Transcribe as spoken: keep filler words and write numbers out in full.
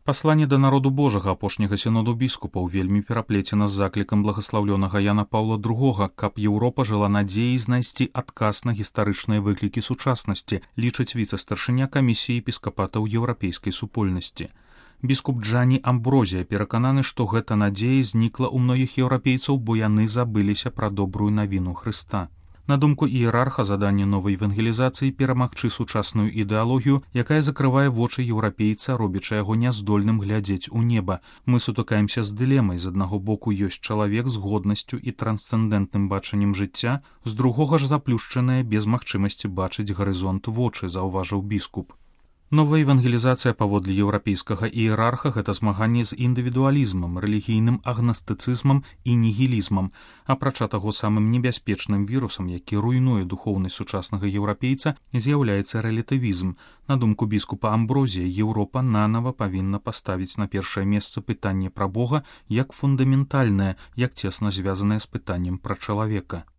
Пасланне да народу Божага апошняга сіноду біскупаў вельмі пераплецена з заклікам благаслаўлёнага Яна Паўла другога, каб Еўропа жыла надзеяй знайсці адказ на гістарычныя выклікі сучаснасці, лічыць віцэ-старшыня камісіі епіскапатаў еўрапейскай супольнасці. Біскуп Джані Амброзія перакананы, што гэта надзея знікла ў многіх еўрапейцаў, бо яны забыліся пра добрую навіну Хрыста. На думку іерарха, заданне новай евангелізацыі перамагчы сучасную ідэалогію, якая закрывае вочы еўрапейца, робячы яго няздольным глядзець у неба. Мы сутыкаемся з дылемай. З аднаго боку ёсць чалавек з годнасцю і трансцэндэнтным бачаннем жыцця, з другога ж заплюшчаныя без магчымасці бачыць гарызонт вочы, заўважыў біскуп. Новая евангелізацыя паводле еўрапейскага іерарха – гэта змаганне з індывідуалізмам, рэлігійным агнастыцызмам і нігілізмам. Апрача таго, самым небяспечным вірусам, які руйнуе духоўнасць сучаснага еўрапейца, з'яўляецца рэлятывізм. На думку біскупа Амброзія, Еўропа нанава павінна паставіць на першае месца пытанне пра Бога як фундаментальнае, як цесна звязанае з пытаннем пра чалавека.